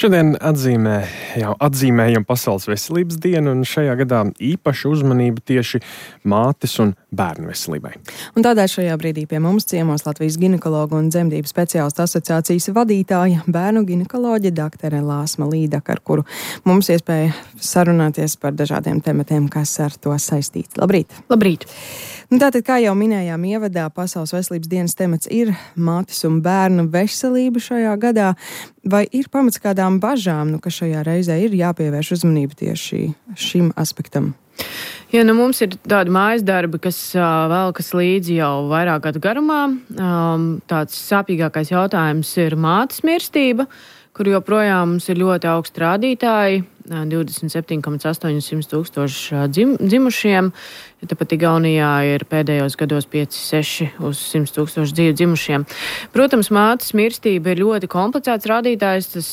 Šodien atzīmējam Pasaules veselības dienu, un šajā gadā īpaša uzmanība tieši mātes un bērnu veselībai. Un tādēļ šajā brīdī pie mums ciemos Latvijas ginekologu un dzemdību speciālistu asociācijas vadītāja, bērnu ginekoloģe doktore Lāsma Līdaka, ar kuru mums iespēja sarunāties par dažādiem tematiem, kas ar to saistīts. Labrīt! Labrīt! Tātad, kā jau minējām ievadā, Pasaules veselības dienas temats ir mātes un bērnu veselība šajā gadā. Vai ir pamats kādām bažām, ka šajā reizē ir jāpievērš uzmanība tieši šim aspektam? Ja, mums ir tādi mājas darbi, kas velkas līdzi jau vairāk gadu garumā. Tāds sāpīgākais jautājums ir mātes mirstība, kur joprojām mums ir ļoti augsti rādītāji. 27,800 tūkstoši dzimušiem. Tāpat Igaunijā ir pēdējos gados 5-6 uz 100 tūkstoši dzīvu dzimušiem. Protams, mātes mirstība ir ļoti komplicēts rādītājs. Tas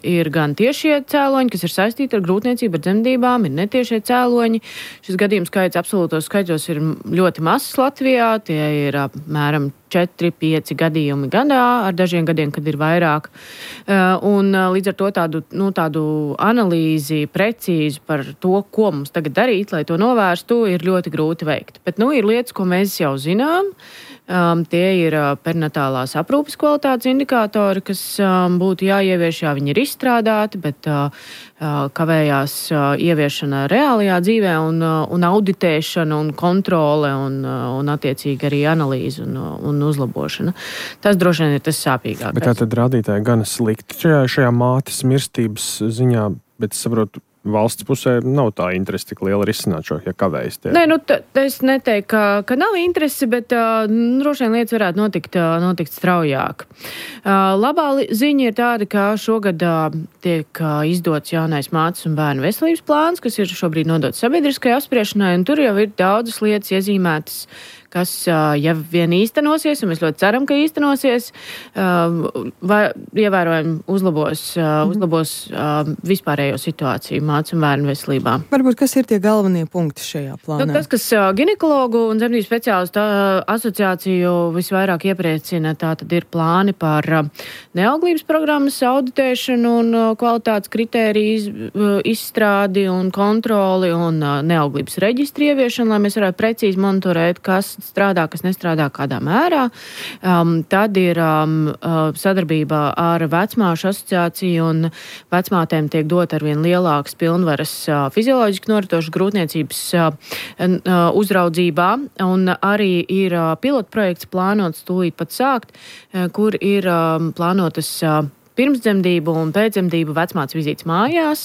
ir gan tiešie cēloņi, kas ir saistīti ar grūtniecību, ar dzemdībām, ir netiešie cēloņi. Šis gadījums skaits absolūtos skaitļos ir ļoti mazs Latvijā. Tie ir apmēram 4-5 gadījumi gadā, ar dažiem gadiem, kad ir vairāk. Un līdz ar to tādu analīzi precīzi par to, ko mums tagad darīt, lai to novērstu, ir ļoti grūti veikt. Bet, ir lietas, ko mēs jau zinām. Tie ir perinatālās aprūpes kvalitātes indikātori, kas būtu jāievieš, viņi ir izstrādāti, bet kavējās ieviešana reālajā dzīvē un auditēšana un kontrole un attiecīgi arī analīze un uzlabošana. Tas droši vien ir tas sāpīgākais. Bet tā tad rādītāji gan slikti šajā mātes mirstības ziņā, bet es saprotu, valsts pusē nav tā interese tik liela risināt šo, ja kavējas tie. Nē, es neteiktu, ka nav interesi, bet droši vien lietas varētu notikt straujāk. Labā ziņa ir tāda, ka šogad tiek izdots jaunais mātes un bērnu veselības plāns, kas ir šobrīd nodots sabiedriskajai apspriešanai, un tur jau ir daudzas lietas iezīmētas, kas, ja vien īstenosies, un mēs ļoti ceram, ka īstenosies, ievērojami uzlabos vispārējo situāciju mātes un bērnu veselībā. Varbūt, kas ir tie galvenie punkti šajā plānā? Tas, kas ginekologu un dzemdību speciālistu asociāciju visvairāk iepriecina, tā tad ir plāni par neauglības programmas auditēšanu un kvalitātes kritēriju izstrādi un kontroli un neauglības reģistri ieviešanu, lai mēs varētu precīzi monitorēt, kas strādā, kas nestrādā kādā mērā. Tad ir sadarbībā ar vecmāšu asociāciju, un vecmātēm tiek dot arvien lielākas pilnvaras fizioloģiski noritošas grūtniecības uzraudzībā, un arī ir pilotprojekts plānots tūlīt pat sākt, kur ir plānotas pirmsdzemdību un pēcdzemdību vecmātes vizītes mājās.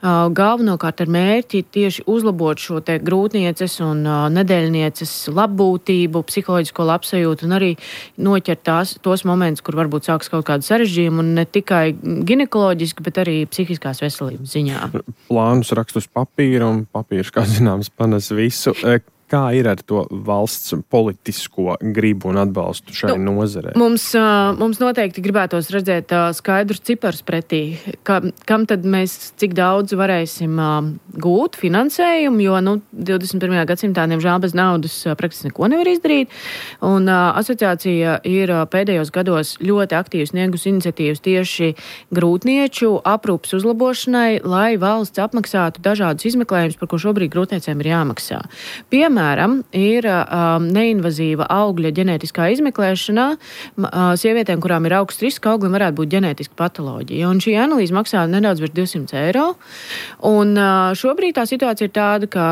Galvenokārt ar mērķi tieši uzlabot šo te grūtnieces un nedēļnieces labbūtību, psiholoģisko labsajūtu un arī noķert tos momentus, kur varbūt sāks kaut kādu sarežģījumu un ne tikai ginekoloģiski, bet arī psihiskās veselības ziņā. Plānus rakst uz papīra, un papīrs, kā zināms, panes visu. Kā ir ar to valsts politisko gribu un atbalstu šai nozarei? Mums noteikti gribētos redzēt skaidrus ciparus pretī, kam tad mēs cik daudz varēsim gūt finansējumu, jo 21. gadsimtā, diemžēl, bez naudas praktiski neko nevar izdarīt. Un asociācija ir pēdējos gados ļoti aktīvi sniegusi iniciatīvas tieši grūtnieču aprūpes uzlabošanai, lai valsts apmaksātu dažādus izmeklējumus, par ko šobrīd grūtniecēm ir jāmaksā. Piemēram, ir neinvazīva augļa ģenētiskā izmeklēšanā sievietēm, kurām ir augsts risks, ka auglim varētu būt ģenētiska patoloģija. Un šī analīze maksā nedaudz virs 200 eiro. Un šobrīd tā situācija ir tāda, ka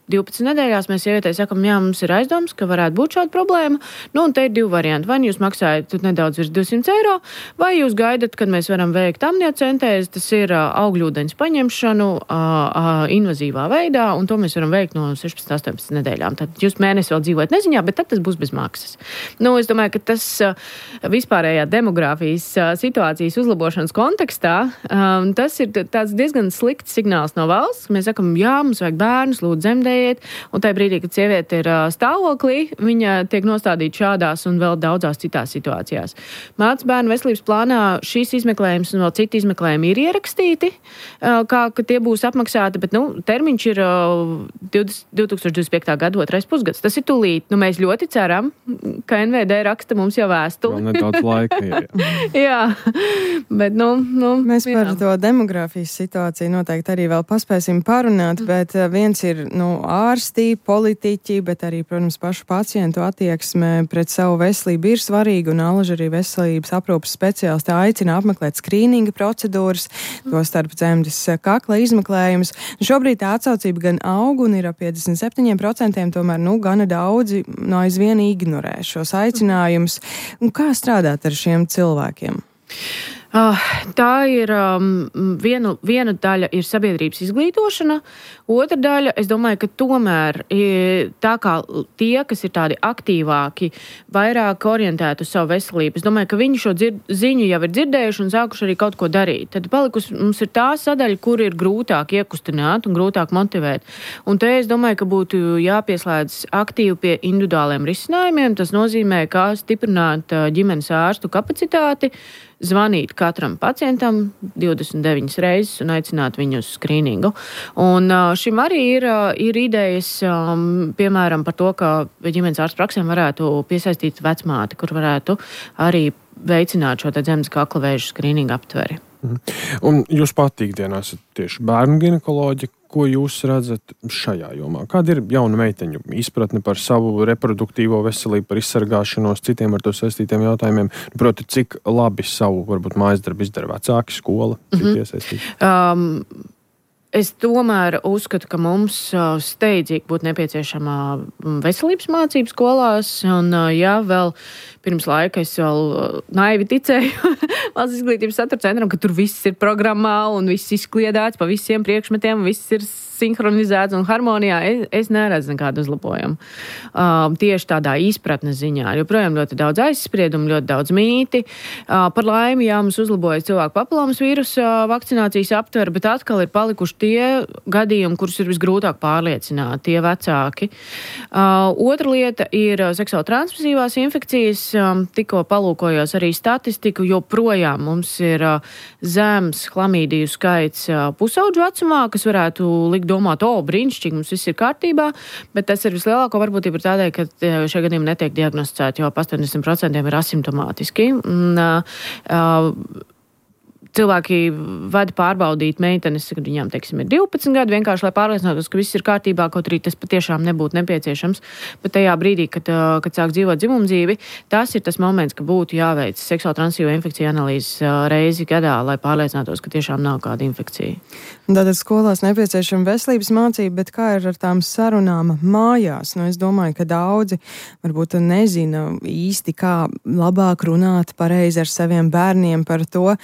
12 nedēļās mēs sievietei sakam, jā, mums ir aizdoms, ka varētu būt šāda problēma. Un te ir divi varianti. Vai jūs maksājat nedaudz virs 200 eiro, vai jūs gaidat, kad mēs varam veikt amniocentēzi, tas ir augļūdeņas paņemšanu invazīvā veidā, un to mēs varam veikt no 16-18 nedēļām. Tad jūs mēnesi vēl dzīvojat neziņā, bet tad tas būs bez maksas. Es domāju, ka tas vispārējā demogrāfijas situācijas uzlabošanas kontekstā, tas ir tāds diezgan slikts signāls no valsts. Mēs sakam, jā, mums vajag bērnus, lūdzu, dzemdēt, nekaitējiet, un tajā brīdī, kad sieviete ir stāvoklī, viņa tiek nostādīta šādās un vēl daudzās citās situācijās. Mātes bērnu veselības plānā šīs izmeklējums un vēl citi izmeklējumi ir ierakstīti, ka tie būs apmaksāti, bet, termiņš ir 2025. gada 2. pusgads. Tas ir tūlīt. Mēs ļoti ceram, ka NVD raksta mums jau vēstuli. Vēl nedaudz laika ir. Jā, bet, Mēs par to demogrāfijas situāciju noteikti arī vēl paspēsim parunāt, bet viens ir, ārstī, politiķi, bet arī, protams, pašu pacientu attieksme pret savu veselību ir svarīga, un Alaža arī veselības aprūpas speciālisti aicina apmeklēt skrīninga procedūras, to starp dzemdes kakla izmeklējumus. Šobrīd tā atsaucība gan aug un ir ap 57%, tomēr, gana daudzi aizvien ignorē šos aicinājumus. Un kā strādāt ar šiem cilvēkiem? Tā ir viena daļa ir sabiedrības izglītošana, otra daļa, es domāju, ka tomēr tā kā tie, kas ir tādi aktīvāki, vairāk orientēti uz savu veselību, es domāju, ka viņi šo ziņu jau ir dzirdējuši un sākuši arī kaut ko darīt. Tad palikusi mums ir tā sadaļa, kur ir grūtāk iekustināt un grūtāk motivēt. Un te es domāju, ka būtu jāpieslēdz aktīvi pie individuāliem risinājumiem. Tas nozīmē, kā stiprināt ģimenes ārstu kapacitāti, zvanīt katram pacientam 29 reizes un aicināt viņu uz skrīningu. Un šim arī ir idejas, piemēram, par to, ka ģimenes ārstu praksēm varētu piesaistīt vecmāti, kur varētu arī veicināt šo dzemdes kakla vēža skrīningu aptveri. Un jūs pati ikdienā esat tieši bērnu ginekoloģi. Ko jūs redzat šajā jomā? Kāda ir jauna meiteņu izpratne par savu reproduktīvo veselību, par izsargāšanos, citiem ar to saistītiem jautājumiem? Proti, cik labi savu, varbūt, mājas darbu izdara vecāki, skola, cik iesaistīti? Es tomēr uzskatu, ka mums steidzīgi būtu nepieciešama veselības mācību skolās, un vēl pirms laika es vēl naivi ticēju valsts izglītības satura centram, ka tur viss ir programmā un viss izkliedēts pa visiem priekšmetiem, viss ir sinhronizēts un harmonijā. Es neredzu nekādu uzlabojumu. Tieši tādā izpratnes ziņā. Joprojām ļoti daudz aizspriedumu, ļoti daudz mīti. Par laimi, mums uzlabojas cilvēku papilomas vīrusa vakcinācijas aptver, bet atkal ir palikuši tie gadījumi, kurus ir visgrūtāk pārliecināt, tie vecāki. Otra lieta ir seksuāli transmisīvās infekcijas. Tikko palūkojos arī statistiku, joprojām mums ir zems chlamīdiju skaits pusauģu vecumā, kas varētu likt domāt, brīnišķīgi, mums viss ir kārtībā, bet tas ir vislielāko varbūtība tādēļ, ka šie gadījumi netiek diagnosticēti, jo 80% ir asimptomātiski. Cilvēki vada pārbaudīt meitenes, kad viņām, teiksim, ir 12 gadi, vienkārši, lai pārliecinātos, ka viss ir kārtībā, kaut arī tas patiešām nebūtu nepieciešams. Bet tajā brīdī, kad sāk dzīvot dzimumdzīvi, tas ir tas moments, ka būtu jāveic seksuāli transmisīvo infekciju analīzes reizi gadā, lai pārliecinātos, ka tiešām nav kāda infekcija. Tātad skolās nepieciešama veselības mācība, bet kā ir ar tām sarunām mājās? Es domāju, ka daudzi varbūt nezina īsti, kā labāk runāt pareizi ar saviem bērniem par to,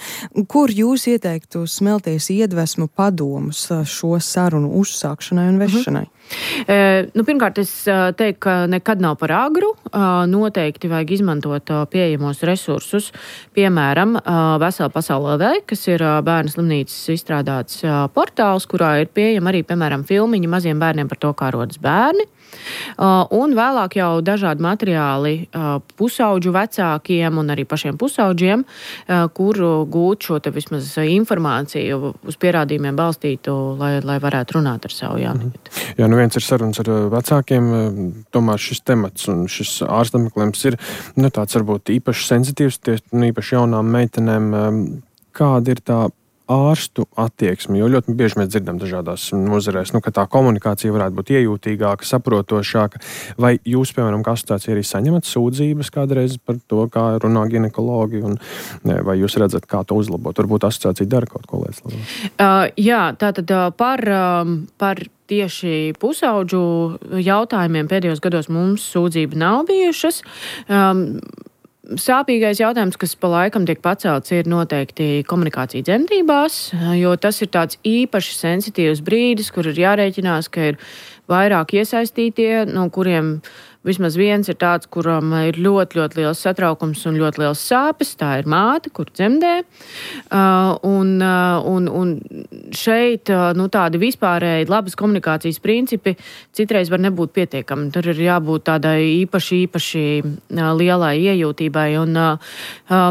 kur jūs ieteiktu smelties iedvesmu padomus šo sarunu uzsākšanai un vešanai? Pirmkārt, es teiktu, ka nekad nav par agru. Noteikti vajag izmantot pieejamos resursus. Piemēram, Vesela pasaule LV, kas ir bērnu slimnīcas izstrādāts portāls, kurā ir pieejama arī, piemēram, filmiņi maziem bērniem par to, kā rodas bērni. Un vēlāk jau dažādi materiāli pusauģu vecākiem un arī pašiem pusauģiem, kur gūt šo te vismaz informāciju uz pierādījumiem balstītu, lai varētu runāt ar savu jaunieti. Jā, viens ir sarunas ar vecākiem, tomēr šis temats un šis ārstapmeklējums ir tāds varbūt īpaši sensitīvs, īpaši jaunām meitenēm. Kāda ir tā ārstu attieksmi, jo ļoti bieži mēs dzirdam dažādās nozarēs, ka tā komunikācija varētu būt iejūtīgāka, saprotošāka. Vai jūs, piemēram, kā asociācija arī saņemat sūdzības kādreiz par to, kā runā ginekologi, un vai jūs redzat, kā to uzlabot? Varbūt asociācija dara kaut ko lietas labāk? Jā, tātad par tieši pusauģu jautājumiem pēdējos gados mums sūdzība nav bijušas. Sāpīgais jautājums, kas pa laikam tiek pacelts, ir noteikti komunikācija dzemdībās, jo tas ir tāds īpaši sensitīvs brīdis, kur ir jārēķinās, ka ir vairāk iesaistītie, no kuriem vismaz viens ir tāds, kuram ir ļoti, ļoti liels satraukums un ļoti liels sāpes. Tā ir māte, kur dzemdē. Un šeit tādi vispārēji labas komunikācijas principi citreiz var nebūt pietiekami. Tur ir jābūt tādai īpaši lielai iejūtībai. Un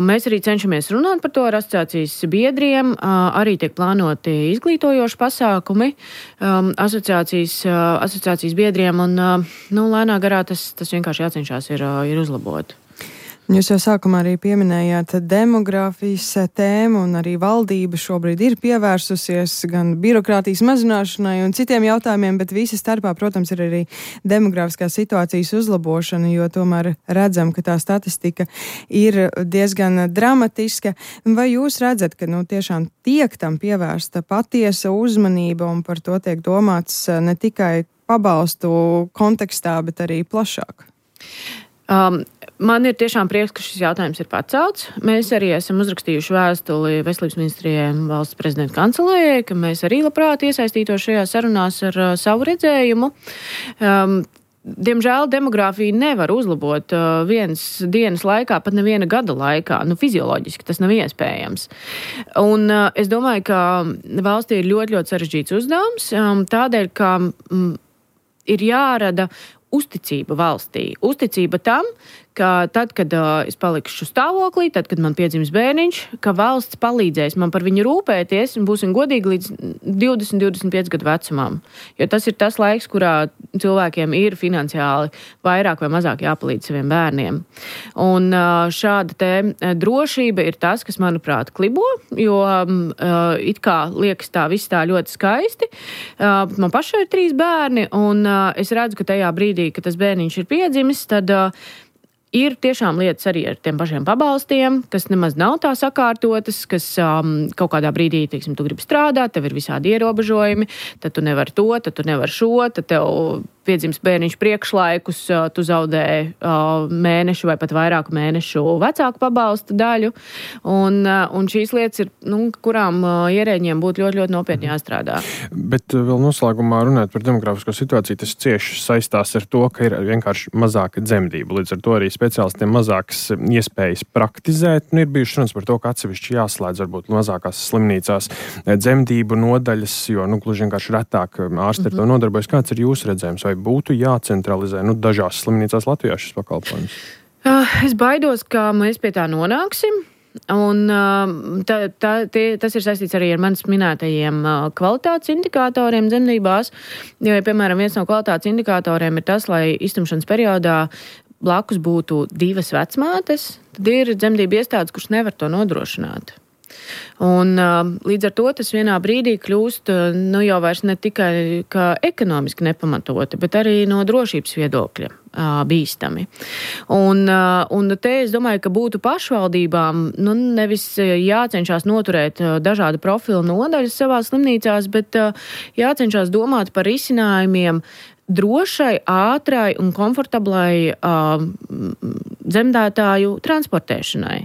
mēs arī cenšamies runāt par to ar asociācijas biedriem. Arī tiek plānoti izglītojoši pasākumi asociācijas biedriem. Un lēnā garā tas vienkārši jācenšās ir uzlabot. Jūs jau sākumā arī pieminējāt demogrāfijas tēmu, un arī valdība šobrīd ir pievērsusies gan birokrātijas mazināšanai un citiem jautājumiem, bet visa starpā, protams, ir arī demogrāfiskās situācijas uzlabošana, jo tomēr redzam, ka tā statistika ir diezgan dramatiska. Vai jūs redzat, ka tiešām tiek tam pievērsta patiesa uzmanība un par to tiek domāts ne tikai pabalstu kontekstā, bet arī plašāk? Man ir tiešām prieks, ka šis jautājums ir pacelts. Mēs arī esam uzrakstījuši vēstuli Veselības ministrijai un valsts prezidenta kancelējai, ka mēs arī labprāt iesaistītos šajās sarunās ar savu redzējumu. Diemžēl demogrāfiju nevar uzlabot vienas dienas laikā, pat neviena gada laikā. Fizioloģiski tas nav iespējams. Un es domāju, ka valstī ir ļoti, ļoti sarežģīts uzdevums, tādēļ, ka ir jārada uzticība valstī. Uzticība tam, ka tad, kad es palikšu stāvoklī, tad, kad man piedzims bērniņš, ka valsts palīdzēs man par viņu rūpēties un būsim godīgi līdz 20-25 gadu vecumam. Jo tas ir tas laiks, kurā cilvēkiem ir finansiāli vairāk vai mazāk jāpalīdz saviem bērniem. Un šāda te drošība ir tas, kas, manuprāt, klibo, jo it kā liekas tā viss tā ļoti skaisti. Man pašai ir 3 bērni, un es redzu, ka tajā brīdī, kad tas bērniņš ir piedzimis, tad ir tiešām lietas arī ar tiem pašiem pabalstiem, kas nemaz nav tā sakārtotas, kas kaut kādā brīdī, teiksim, tu gribi strādāt, tev ir visādi ierobežojumi, tad tu nevar to, tad tu nevar šo, tad tev piedzims bērniņš priekšlaikus, tu zaudē mēnešu vai pat vairāku mēnešu vecāku pabalstu daļu. Un šīs lietas ir, kurām ierēģiem būtu ļoti, ļoti nopietni jāstrādā. Bet vēl noslēgumā runāt par demografisko situāciju, tas cieši saistās ar to, ka ir vienkārši mazāka dzemdība. Līdz ar to arī speciālistiem mazākas iespējas praktizēt. Ir bijuši runas par to, ka atsevišķi jāslēdz varbūt mazākās slimnīcās dzemdību nodaļas, jo gluži vienkārši retāk ārsti ar to nodarbojas. Kāds ir jūsu redzējums? Vai būtu jācentralizē dažās slimnīcās Latvijā šis pakalpojums? Es baidos, ka mēs pie tā nonāksim. Un tas ir saistīts arī ar manis minētajiem kvalitātes indikatoriem dzemdībās. Jo, piemēram, viens no kvalitātes indikatoriem ir tas, lai iztumšanas periodā blakus būtu 2 vecmātes, tad ir dzemdību iestādes, kuras nevar to nodrošināt. Un līdz ar to tas vienā brīdī kļūst jau vairs ne tikai ekonomiski nepamatoti, bet arī no drošības viedokļa bīstami. Un te es domāju, ka būtu pašvaldībām nevis jācenšas noturēt dažādu profilu nodaļas savās slimnīcās, bet jācenšas domāt par risinājumiem drošai, ātrai un komfortablai dzemdētāju transportēšanai.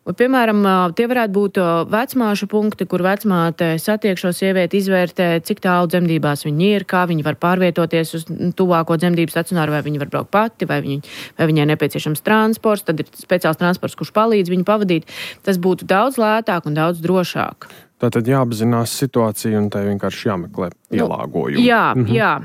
Piemēram, tie varētu būt vecmāšu punkti, kur vecmāte satiek šo sievieti, izvērtē, cik tālu dzemdībās viņi ir, kā viņi var pārvietoties uz tuvāko dzemdību stacionāru, vai viņi var braukt pati, vai viņai nepieciešams transports, tad ir speciāls transports, kurš palīdz viņu pavadīt. Tas būtu daudz lētāk un daudz drošāk. Tātad jāapzinās situācija un tai vienkārši jāmeklē pielāgojumi. Jā.